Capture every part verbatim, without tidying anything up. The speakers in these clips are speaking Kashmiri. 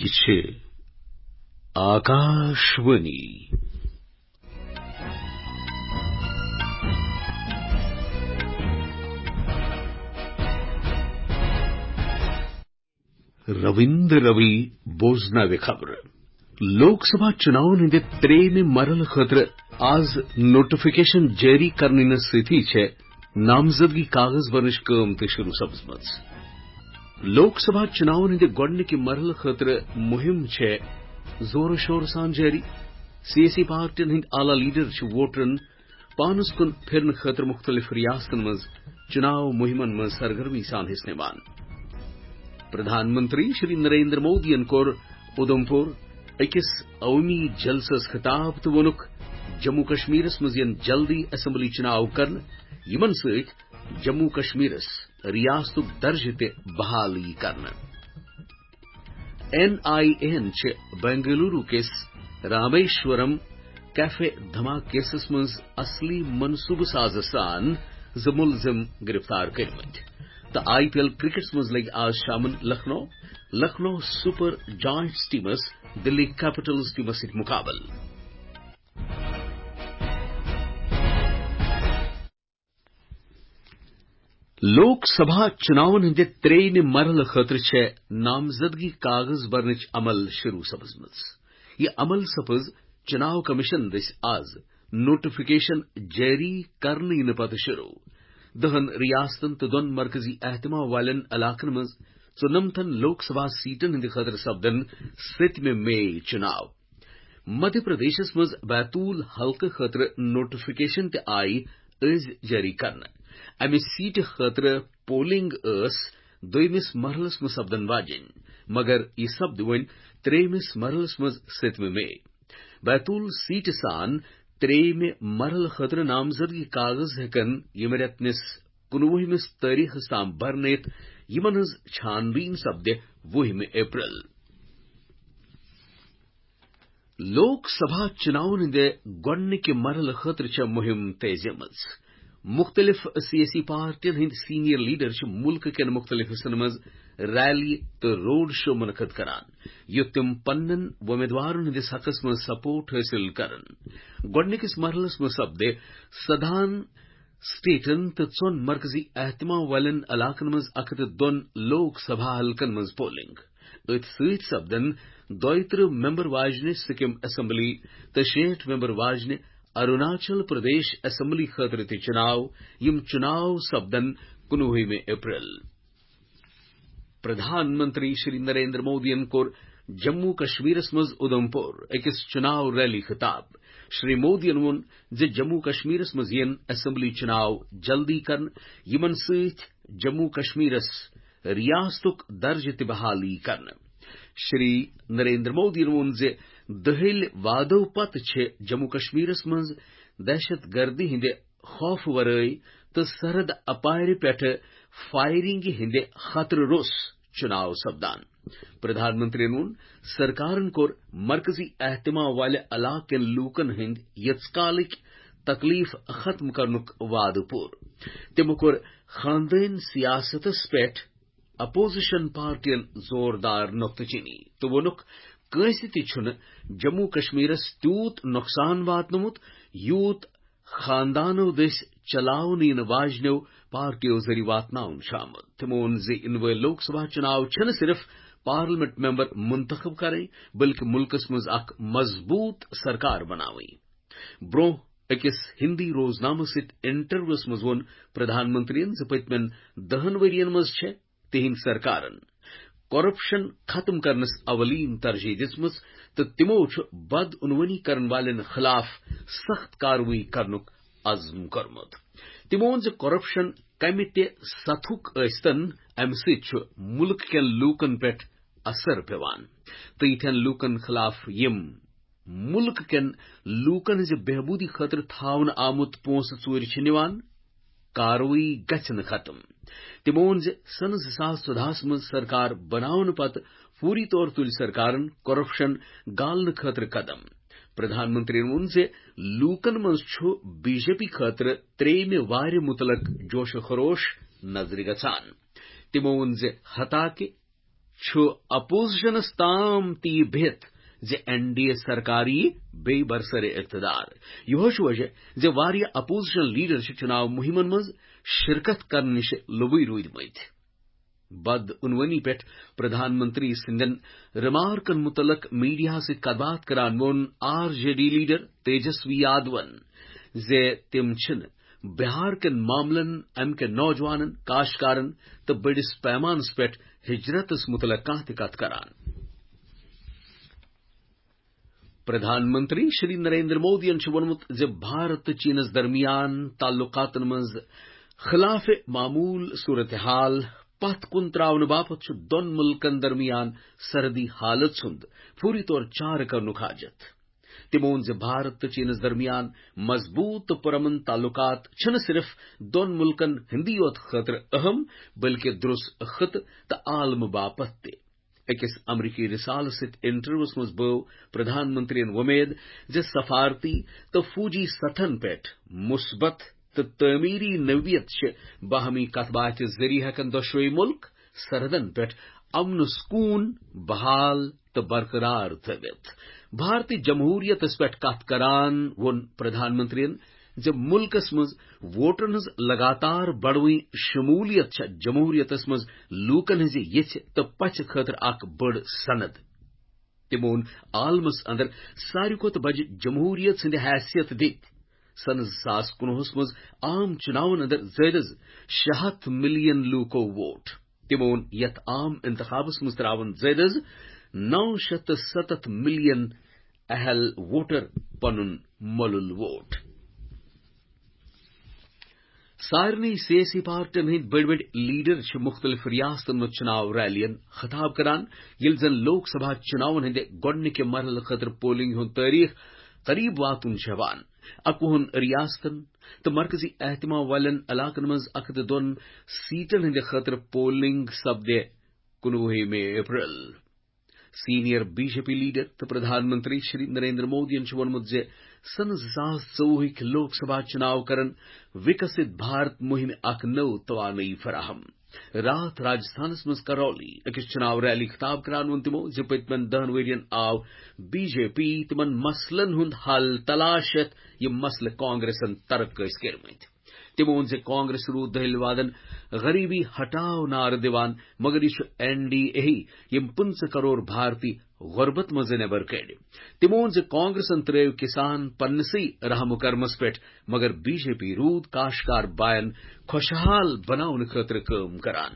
چھِ آکاشوانی۔ رویندر روی بوزناوِ خبرٕ۔ لوک سبھا چُناون ہٕنٛدِ ترٛیٚیِمہِ مرحلہٕ خٲطرٕ آز نوٹیفکیشن جٲری کرنہٕ سۭتی چھےٚ نامزدگی کاغذ بھرنٕچ کٲم تہِ شروع سپٕزمٕژ۔ لوک سبھا چُناون ہٕنٛدِ گۄڈٕنِکہِ مرحلہٕ خٲطرٕ مُہِم چھےٚ زورٕ شورٕ سان جٲری۔ سیٲسی پارٹین ہٕنٛدۍ اعلیٰ لیڈر چھِ ووٹرن پانس کُن پھرنہٕ خٲطرٕ مُختٔلِف ریاستن منٛز چُناو مُہِمن منٛز سرگرمی سان حصہٕ نِوان۔ پردھان منتری شری نریندر مودیَن کوٚر اُدھمپور أکِس عوٲمی جلسس خطاب تہٕ ووٚنُکھ، جموں کشمیرس منٛز یِن جلدی اسمبلی چُناو کرنہٕ، یِمن سۭتۍ جموں کشمیرس ریاستُک درجہٕ تہِ بحال یی کرنہٕ۔ این آئی اے ہن چھِ بنگلورو کِس رامیشورم کیفے دھماکہٕ کیسس منٛز اصلی منصوبہٕ سازٕ سان زٕ مُلزِم گرفتار کٔرمٕتۍ۔ تہٕ آئی پی ایل کرکٹس منٛز لگہِ آز شامن لکھنؤ، لکھنؤ سپر جائنٹس ٹیمس دلی کیپٹلز ٹیمس سۭتۍ مقابلہٕ۔ لوک سبھا چُناون ہٕنٛدِ ترٛیٚیِمہِ مرحلہٕ خٲطرٕ چھےٚ نامزدگی کاغذ برنٕچ عمل شروع سپٕزمٕژ۔ یہِ عمل سپٕز چُناو کمیشن دٔسۍ آز نوٹیفکیشن جٲری کرنہٕ یِنہٕ پتہٕ شروع۔ دَہن ریاستن تہٕ دۄن مرکزی اہتمام والٮ۪ن علاقن منٛز ژُنمتن لوک سبھا سیٹن ہٕنٛدِ خٲطرٕ سپدن سٔتمہِ مئی چُناو۔ مدھیہ پردیشس منٛز بیتول حلقہٕ خٲطرٕ نوٹیفکیشن تہِ آیہِ أزۍ جٲری کرنہٕ۔ امہِ سیٹہِ خٲطرٕ پولنگ ٲس دوٚیمِس مرحلس منٛز سپدن واجِنۍ، مگر یہِ سپدِ وۄنۍ ترٛیٚیمِس مرحلس منٛز سٔتمہِ مئی۔ بیتول سیٹہِ سان ترٛیٚیمہِ مرحلہٕ خٲطرٕ نامزدگی کاغذ ہٮ۪کن ییٚمہِ رٮ۪تہٕ کِس کُنوُہمِس تٲریخس تام برنہٕ یِتھ، یِمن ہٕنٛز چھان بیٖن سپدِ وُہمہِ اپریل۔ لوک سبھا چُناون ہٕنٛدِ گۄڈٕنِکہِ مرحلہٕ خٲطرٕ چھےٚ مُہِم تیزیمٕژ۔ مُختٔلِف سیٲسی پارٹین ہٕنٛدۍ سینئر لیڈر چھِ مُلکہٕ کٮ۪ن مُختٔلِف حصن منٛز ریلی تہٕ روڈ شو منعقد کران، یُتھ تِم پننٮ۪ن وۄمیدوارن ہٕنٛدِس حقس منٛز سپورٹ حٲصِل کرن۔ گۄڈٕنِکِس مرحلس منٛز سپدِ سدہن سٹیٹن تہٕ ژۄن مرکزی اہتمام والٮ۪ن علاقن منٛز اکھ ہتھ تہٕ دۄن لوک سبھا حلقن منٛز پولنگ۔ أتھۍ سۭتۍ سپدن دۄیہِ ترٕٛہ ممبر واجنہِ سکم اسمبلی تہٕ شیٹھ ممبر واجنہِ اروناچل پردیش اسمبلی خٲطرٕ تہِ چُناو۔ یِم چُناو سپدن کُنوُہمہِ اپریل۔ پردھان منتری شری نریندر مودیَن کوٚر جموں کشمیرس منٛز اُدھمپور أکِس چُناو ریلی خطاب۔ شری مودیَن ووٚن زِ جموں کشمیرس منٛز یِن اسمبلی چُناو جلدی کرنہٕ، یِمن سۭتۍ جموں کشمیرس ریاستُک درجہٕ تہِ بحال یی کرنہٕ۔ شری نریندر مودیَن ووٚن زِ دٔہلۍ وعدو پتہٕ چھِ جموں کشمیرس منٛز دہشت گردی ہٕنٛدِ خوف ورٲے تہٕ سرحد اپارِ پٮ۪ٹھٕ فائرنگ ہٕنٛدِ خطرٕ روٚس چُناو سپدان۔ پردھان منتریَن ووٚن، سرکارن کوٚر مرکزی اہتمام والہِ علاقہٕ کٮ۪ن لوٗکن ہٕنٛدۍ یٔژ کالٕکۍ تکلیف ختم کرنُک وعدٕ پوٗرٕ۔ تِمو کوٚر خاندٲنۍ سیاستس پٮ۪ٹھ اپوزیشن پارٹین زوردار نقطہٕ چینی تہٕ ووٚنُکھ، کٲنٛسہِ تہِ چھُنہٕ جموں کشمیرس تیوٗت نۄقصان واتنومُت، یوٗت خاندانو دٔسۍ چلاونہٕ یِنہٕ واجنیو پارٹیو ذٔریعہٕ واتناونہٕ چھُ آمُت۔ تِمو ووٚن زِ یِنہٕ وٲلۍ لوک سبھا چُناو چھِنہٕ صرف پارلیمنٹ ممبر منتخب کرٕنۍ، بلکہِ مُلکس منٛز اکھ مضبوٗط سرکار بناوٕنۍ۔ برونٛہہ أکِس ہندی روزنامس سۭتۍ انٹرویوس منٛز ووٚن پردھان منتریَن زِ پٔتمٮ۪ن دَہن ؤرین منٛز چھےٚ تِہنٛدۍ سرکارن کرپشن ختم کرنس اولین ترجیح دِژمٕژ تہٕ تِمو چھُ بدعنوانی کرن والٮ۪ن خلاف سخت کاروٲیی کرنُک عزم کوٚرمُت۔ تِمو ووٚن زِ کرپشن کمہِ تہِ سطحُک ٲسۍتن، امہِ سۭتۍ چھُ مُلک کٮ۪ن لوٗکن پٮ۪ٹھ اثر پٮ۪وان تہٕ یِتھٮ۪ن لوٗکن خلاف، یِم مُلک کٮ۪ن لوٗکن ہٕنٛزِ بہبوٗدی خٲطرٕ تھاونہٕ آمُت پونٛسہٕ ژوٗرِ چھِ نِوان، کاروٲیی گژھِ نہٕ ختم۔ تِمو ووٚن زِ سنہٕ زٕ ساس ژۄدہَس منٛز سرکار بناونہٕ پتہٕ فوری طور تُلۍ سرکارن کرپشن گالنہٕ خٲطرٕ قدم۔ پردھان منتریَن ووٚن زِ لوٗکن منٛز چھُ بی جے پی خٲطرٕ ترٛیٚیمہِ وارِ مُتعلق جوش و خروش نظرِ گژھان۔ تِمو ووٚن زِ حتاکہِ چھُ اپوزیشنس تام تہِ یہِ بِہِتھ زِ این ڈی اے سرکار یی بیٚیہِ برسر اقتدار۔ یِہوے چھُ وجہ زِ واریاہ اپوزیشن لیڈر چھِ چُناو مُہِمن منٛز شرکت کرنہٕ نِش لوٚبُے روٗدمٕتۍ۔ بدعنوانی پٮ۪ٹھ پردھان منتری سٕنٛدٮ۪ن ریمارکن مُتعلق میڈیاہس سۭتۍ کتھ باتھ کران ووٚن R J D leader Tejashwi یادون زِ تِم چھِنہٕ بہار کٮ۪ن معاملن، امہِ کٮ۪ن نوجوانن، کاشتکارن تہٕ بٔڑِس پیمانس پٮ۪ٹھ ہجرتس مُتعلق کانٛہہ تہِ کتھ کران۔ پردھان منتری شری نریندر مودیَن چھُ ووٚنمُت زِ بھارت تہٕ چینَس درمیان تعلقاتَن منٛز خلاف معمول صورتحال پتھ کُن تراونہٕ باپتھ چھُ دۄن مُلکَن درمیان سرحدی حالت ہُنٛد فوری طور چارٕ کرنُک حاجت۔ تِمو ووٚن زِ بھارت تہٕ چینَس درمیان مضبوٗط تہٕ پُرامن تعلقات چھِنہٕ صرف دۄن مُلکَن ہٕنٛدی یوت خٲطرٕ اہم، بلکہِ درٛس خطہٕ تہٕ عالمہٕ باپتھ تہِ۔ أکِس امریکی رسالس سۭتۍ انٹرویوس منٛز بٲو پردھان منترین وۄمید زِ سفارتی تہٕ فوجی سطحن پٮ۪ٹھ مثبت تہٕ تعمیری نوعیت چھِ باہمی کتھ باتھِ ذٔریعہٕ ہٮ۪کن دۄشوے مُلک سرحدن پٮ۪ٹھ امن سکون بحال تہٕ برقرار تھٲوِتھ۔ بھارتی جمہوریتس پٮ۪ٹھ کتھ کران ووٚن پردھان منترین زِ مُلکس منٛز ووٹرن ہٕنٛز لگاتار بڑوٕنۍ شمولیت چھےٚ جمہوریتس منٛز لوٗکن ہٕنٛزِ یژھِ تہٕ پژھِ خٲطرٕ اکھ بٔڑ سند۔ تِمو ووٚن عالمس اندر ساروی کھۄتہٕ بجہِ جمہوریت ہٕنٛدِ حیثیت دِتۍ سنہٕ زٕ ساس کُنوُہس منٛز عام چُناون اندر زٲیدٕ شےٚ ہتھ ملین لوٗکو ووٹ۔ تِمو ووٚن یتھ عام انتخابس منٛز تراون زٲیدٕ نو شیٚتھ تہٕ ستتھ ملین اہل ووٹر پنُن مۄلُل ووٹ۔ سارنٕے سیٲسی پارٹین ہٕنٛدۍ بٔڑۍ بٔڑۍ لیڈر چھِ مُختٔلِف ریاستن منٛز چُناو ریلین خطاب کران، ییٚلہِ زن لوک سبھا چُناون ہٕنٛدِ گۄڈٕنِکہِ مرحلہٕ خٲطرٕ پولنگ ہُنٛد تٲریخ قریب واتُن چھُ ہٮ۪وان۔ اَکوُہن ریاستن تہٕ مرکزی اہتمام والٮ۪ن علاقن منٛز اکھ ہتھ تہٕ دۄن سیٹن ہٕنٛدِ خٲطرٕ پولنگ سپدِ کُنوُہمہِ April. Senior B J P leader تہٕ پردھان منتری شری نریندر مودیَن چھُ ووٚنمُت زِ سنہٕ زٕ ساس ژوٚوُہٕکۍ لوک سبھا چُناو کرن وِکسِت بھارت مُہِمہِ اکھ نٔو توانٲیی فراہم۔ راتھ راجستھانس منٛز کرولی أکِس چُناو ریلی خطاب کران ووٚن تِمو زِ پٔتمٮ۪ن دہن ؤرین آو بی جے پی تِمن مسلن ہُنٛد حل تلاش ہٮ۪تھ، یِم مسلہٕ کانگریسن ترک ٲسۍ کٔرمٕتۍ۔ تِمو ووٚن زِ کانگریس روٗد دٔہلہِ وادن غریبی ہٹاو نعرٕ دِوان، مگر یہِ چھُ این ڈی اے یِم پٕنٛژٕہ کرور بھارتی غربت منٛز نٮ۪بر کٔڑۍ۔ تِمو ووٚن زِ کانگریسن ترٲو کسان پننسٕے رحم و کرمس پٮ۪ٹھ، مگر بی جے پی روٗد کاشتکار باین خۄشحال بناونہٕ خٲطرٕ کٲم کران۔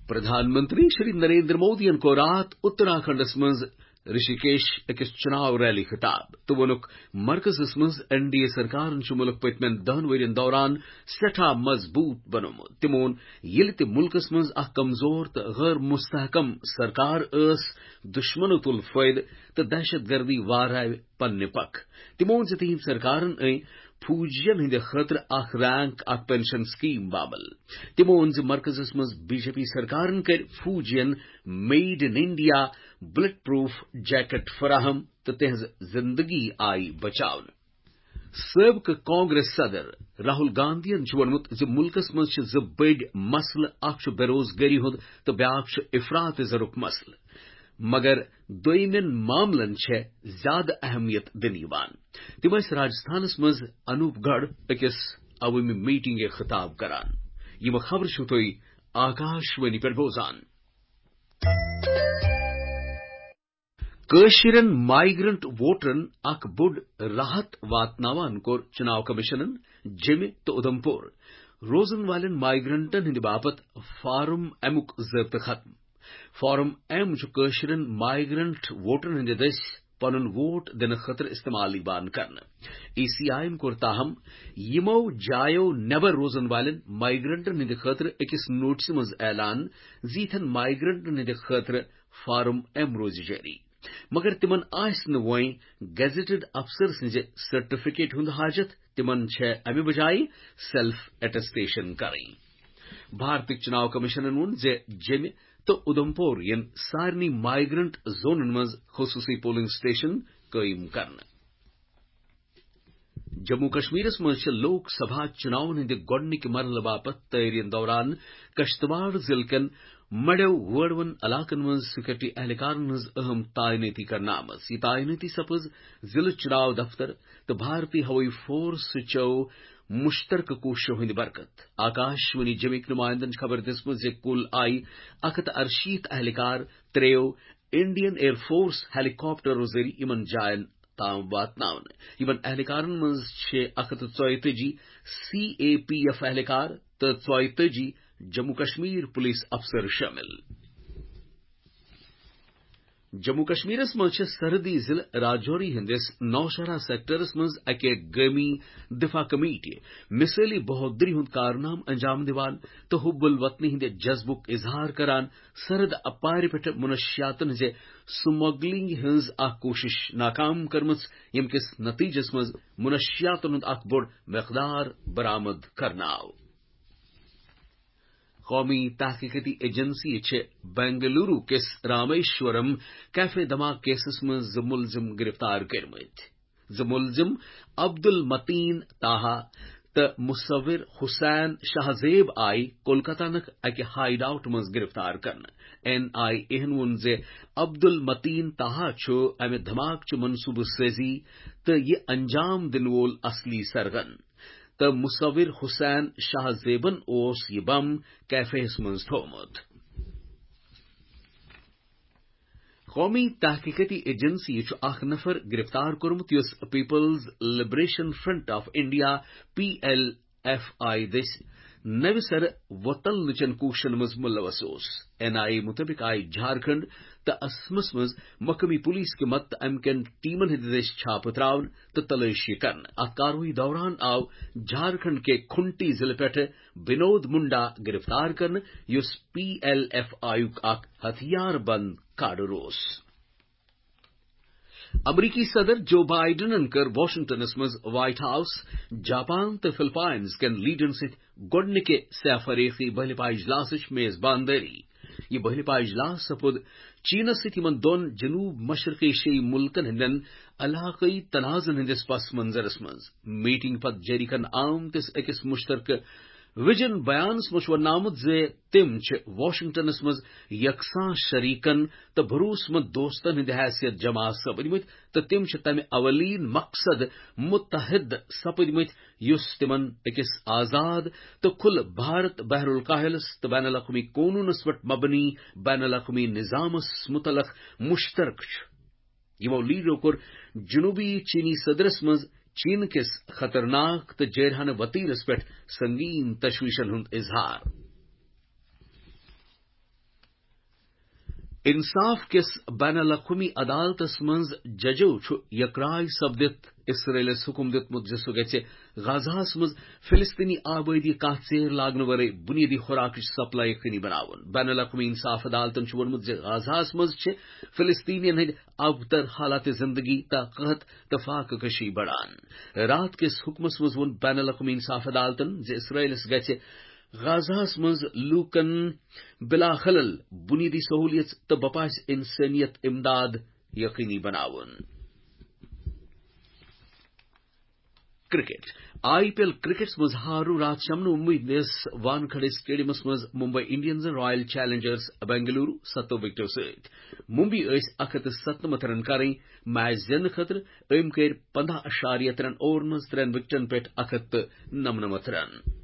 پردھان منتری شری نریندر مودیَن کوٚر راتھ اتراکھنڈس منٛز رشیکیش أکِس چُناو ریلی خطاب تہٕ ووٚنُکھ، مرکزس منٛز این ڈی اے سرکارن چھُ مُلک پٔتمٮ۪ن دہن ؤرین دوران سٮ۪ٹھاہ مضبوٗط بنوومُت۔ تِمو ووٚن، ییٚلہِ تہِ مُلکس منٛز اکھ کمزور تہٕ غٲر مستحکم سرکار ٲس، دُشمنو تُل فٲیدٕ تہٕ دہشت گردی وارٲوِ پننہِ پکھ۔ تِمو ووٚن زِ تِہنٛدِ سرکارن أنۍ فوجین ہٕنٛدِ خٲطرٕ اکھ رینک، اکھ پنشن سکیم بامل۔ تِمو ووٚن زِ مرکزس منٛز بی جے پی سرکارن کٔرۍ فوجین made in India bullet proof jacket فراہم تہٕ تِہنٛز زندگی آیہِ بچاونہٕ۔ سٲبقہٕ کانگریس صدر راہل گاندھین چھُ ووٚنمُت زِ مُلکس منٛز چھِ زٕ بٔڑۍ مسلہٕ، اکھ چھُ بے روزگٲری ہُنٛد تہٕ بیاکھ چھُ افراط زرُک مسلہٕ، مگر دوٚیمٮ۪ن معاملن چھےٚ زیادٕ اہمیت دِنہٕ یِوان۔ تِم ٲسۍ راجستھانس منٛز انوپ گڑھ أکِس عوٲمی میٹنگہِ خطاب کران۔ یِم خبرٕ چھِو تُہۍ آکاش وانی پٮ۪ٹھ بوزان۔ کٲشرٮ۪ن مایگرنٹ ووٹرن اکھ بوٚڑ راحت واتناوان کوٚر چُناو کمیشنن جیٚمہِ تہٕ اُدھمپور روزن والٮ۪ن مایگرنٹن ہٕنٛدِ باپتھ فارم ایمُک ضٲبطہٕ ختم۔ فارم ایم چھُ کٲشرٮ۪ن مایگرنٹ ووٹرن ہٕنٛدِ دٔسۍ پنُن ووٹ دِنہٕ خٲطرٕ استعمال یِوان کرنہٕ۔ ای سی آی ین کوٚر تاہم یِمو جایو نٮ۪بر روزن والٮ۪ن مایگرنٹن ہٕنٛدِ خٲطرٕ أکِس نوٹسہِ منٛز اعلان زِ یِتھٮ۪ن مایگرنٹن ہٕنٛدِ خٲطرٕ فارم ایم روزِ جٲری، مگر تِمن آسہِ نہٕ وۄنۍ گیزیٹڈ افسر سٕنٛزِ سرٹیفکیٹ ہُنٛد حاجت، تِمن چھےٚ امہِ بجایہِ سیلف اٹیسٹیشن کرٕنۍ۔ بھارتٕکۍ چُناو کمیشنن ووٚن زِ جیٚمہِ تہٕ اُدھمپور یِن سارنٕے مایگرنٹ زونن منٛز خصوٗصی پولنگ سٹیشن قٲیِم کرنہٕ۔ جموں کشمیرس منٛز چھِ لوک سبھا چُناون ہٕنٛدِ گۄڈٕنِکہِ مرحلہٕ باپتھ تٲریٖخن دوران کشتواڑ ضلعہٕ کٮ۪ن مڑیو وٲڑوَن علاقن منٛز سیکورٹی اہلکارن ہٕنٛز اہم تعینٲتی کرنہٕ آمٕژ۔ یہِ تعینٲتی سپٕز ضلعہٕ چناو دفتر تہٕ بھارتی ہوٲیی فورس چٮ۪و مشترکہٕ کوٗششو ہٕنٛدِ برکت۔ آکاش وانی جمِکۍ نمائندن چھِ خبر دِژمٕژ زِ کُل آیہِ اکھ ہتھ تہٕ ارشیٖتھ اہلکار ترٛیٚیو انڈین ایئر فورس ہیلی کاپٹرو ذٔریعہٕ یِمن جاین تام واتناونہٕ۔ یِمن اہلکارن منٛز چھِ اکھ ہتھ تہٕ ژۄیتٲجی سی اے پی ایف اہلکار تہٕ ژۄیتٲجی جموں کشمیر پولیس افسر شٲمِل۔ جموں کشمیرس منٛز چھِ سرحدی ضلعہٕ راجوری ہٕنٛدِس نوشہرہ سیکٹرس منٛز اکہِ گٲمی دفاع کمیٹی مثٲلی بہادری ہُنٛد کارنامہٕ انجام دِوان تہٕ حب الوطنی ہٕنٛدِ جذبُک اظہار کران سرحد اپارِ پٮ۪ٹھ منشیاتن ہٕنٛزِ سمگلنگ ہٕنٛز اکھ کوٗشش ناکام کٔرمٕژ، ییٚمہِ کِس نتیجس منٛز منشیاتن ہُنٛد اکھ بوٚڑ مقدار برآمد کرنہٕ آو۔ قومی تحقیقاتی ایجنسی چھِ بنگلورو کِس رامیشورم کیفے دھماکہٕ کیسس منٛز زٕ ملزم گرفتار کٔرمٕتۍ۔ زٕ ملزم عبدالمتین طاہا تہٕ مصور حسین شاہ زیب آیہِ کولکتہ نٕک اکہِ ہائی ڈاؤٹ منٛز گرفتار کرنہٕ۔ این آئی اے ہَن ووٚن زِ عبدالمتین طاہا چھُ امہِ دھماکہٕ چہِ منصوبہٕ سٲزی تہٕ یہِ انجام دِنہٕ وول اصلی سرگن، تہٕ مصور حسین شاہ زیبن اوس یہِ بم کیفے ہَس منٛز تھوومُت۔ قومی تحقیقاتی ایجنسی چھُ اکھ نفر گرفتار کوٚرمُت، یُس people's liberation front of India, P L F I, دٔسۍ نوِ سرٕ وۄتلنٕچن کوٗششن منٛز ملوث اوس۔ این آئی اے مُطٲبِق آیہِ جھارکھنڈ تہٕ اسمس منٛز مقٲمی پولیس کہِ مدتہٕ امہِ کٮ۪ن ٹیمن ہٕنٛدِ دٔسۍ چھاپہٕ تراونہٕ تہٕ تلٲشی کرنہٕ۔ اتھ کاروٲیی دوران آو جھارکھنڈ کہِ کھنٹی ضلعہٕ پٮ۪ٹھٕ بنود منڈا گرفتار کرنہٕ، یُس پی ایل ایف آئی یُک اکھ ہتھیار بند کاڈر اوس۔ امریکی صدر جو بائیڈنن کٔر واشنگٹنس منٛز وائٹ ہاؤس، جاپان تہٕ فلپائنز کٮ۪ن لیڈرن سۭتۍ گۄڈٕنِکہِ سہ فریقی بہلہِ پا اجلاسٕچ میزبان دٲری۔ یہِ بہلہِ پا اجلاس سپُد چینس سۭتۍ یِمن دۄن جنوب مشرق ایشیائی ملکن ہٕنٛدٮ۪ن علاقٲیی تنازن ہٕنٛدِس پس منظرس منٛز۔ میٹنگ پتہٕ جٲری کرنہٕ آمتِس أکِس مشترکہٕ ویژن بیانس منٛز چھُ وننہٕ آمُت زِ تِم چھِ واشنگٹنس منٛز یکساں شریکن تہٕ بھروسہٕ مند دوستن ہٕنٛدِ حیثیت جمع سپدمٕتۍ تہٕ تِم چھِ تمہِ اولین مقصد متحد سپدمٕتۍ یُس تِمن أکِس آزاد تہٕ کھُلہٕ بھارت، بحر الکاہلس تہٕ بین الاقوامی قونوٗنس پٮ۪ٹھ مبنی بین الاقوامی نظامس متعلق مشترکہٕ چھُ۔ یِمو لیڈرو کوٚر جنوبی چینی صدرس منٛز چین کِس خطرناک تہٕ جٲرحانہٕ وتیرس پٮ۪ٹھ سنگین تشویشن ہُنٛد اظہار۔ انصاف کِس بین الاقوامی عدالتس منٛز ججو چھُ یکراے سپدِتھ اسرائیلس حکم دیُتمُت زِ سُہ گژھِ غزہس منٛز فلسطینی آبٲدی کانٛہہ ژیر لاگنہٕ ورٲے بنیٲدی خوراکٕچ سپلائی یقینی بناوُن۔ بین الاقوامی انصاف عدالتن چھُ ووٚنمُت زِ غزہس منٛز چھِ فلسطینین ہٕنٛدۍ ابتر حالات زندگی تہٕ قحط تہٕ فاقہ کشی بڑان۔ راتھ کِس حکمس منٛز ووٚن بین الاقوامی انصاف عدالتن زِ اسرائیلس گژھِ غزہس منٛز لوٗکن بلا خلل بنیٲدی سہولیت تہٕ بپاسہِ انسٲنیت امداد یقینی بناوُن۔ کرکٹ۔ آئی پی ایل کرکٹس منٛز ہارو راتھ شامنہٕ ممبئی ہٕنٛدِس وانکھڑے اسٹیڈیمس منٛز ممبئی انڈینزن رائل چیلنجرز بنگلورو ستو وکٹو سۭتۍ۔ ممبئی ٲسۍ اکھ ہتھ تہٕ ستنمتھ رن کرٕنۍ میچ زیننہٕ خٲطرٕ، أمۍ کٔرۍ پنداہ اشاریہ ترٛٮ۪ن اوورن منٛز ترٛٮ۪ن وکٹن پٮ۪ٹھ اکھ ہتھ تہٕ نمنمتھ رن۔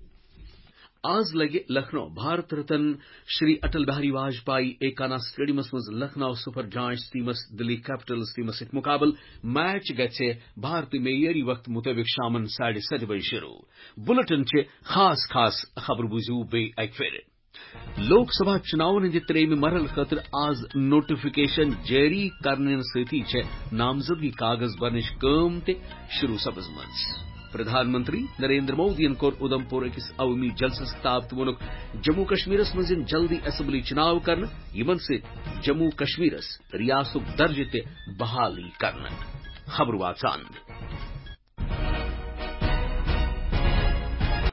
آز لگہِ لکھنؤ بھارت رتن شری اٹل بہاری واجپائی ایکانا اسٹیڈیمس منٛز لکھنؤ سپر جائنٹس ٹیمس دلی کیپٹلز ٹیمس سۭتۍ مقابلہٕ۔ میچ گژھِ بھارتی معیٲری وقت مطٲبق شامن ساڑِ ستہِ بجہِ شروع۔ بُلٹن چھِ خاص خاص خبرٕ بوٗزِو بیٚیہِ اکہِ پھِرِ۔ لوک سبھا چُناون ہٕنٛدِ ترٛیٚیمہِ مرحلہٕ خٲطرٕ آز نوٹیفکیشن جٲری کرنہٕ سۭتی چھےٚ نامزدگی کاغذ برنٕچ کٲم تہِ شروع سپٕزمٕژ۔ پردھان منتری نریندر مودیَن کوٚر اُدھمپور أکِس عوٲمی جلسَس خطاب تہٕ ووٚنُکھ، جموں کشمیرَس منٛز یِن جلدی اسمبلی چُناو کرنہٕ، یِمَن سۭتۍ جموں کشمیرَس ریاستُک درجہٕ تہِ بحالی کرنہٕ۔ خبر واژان۔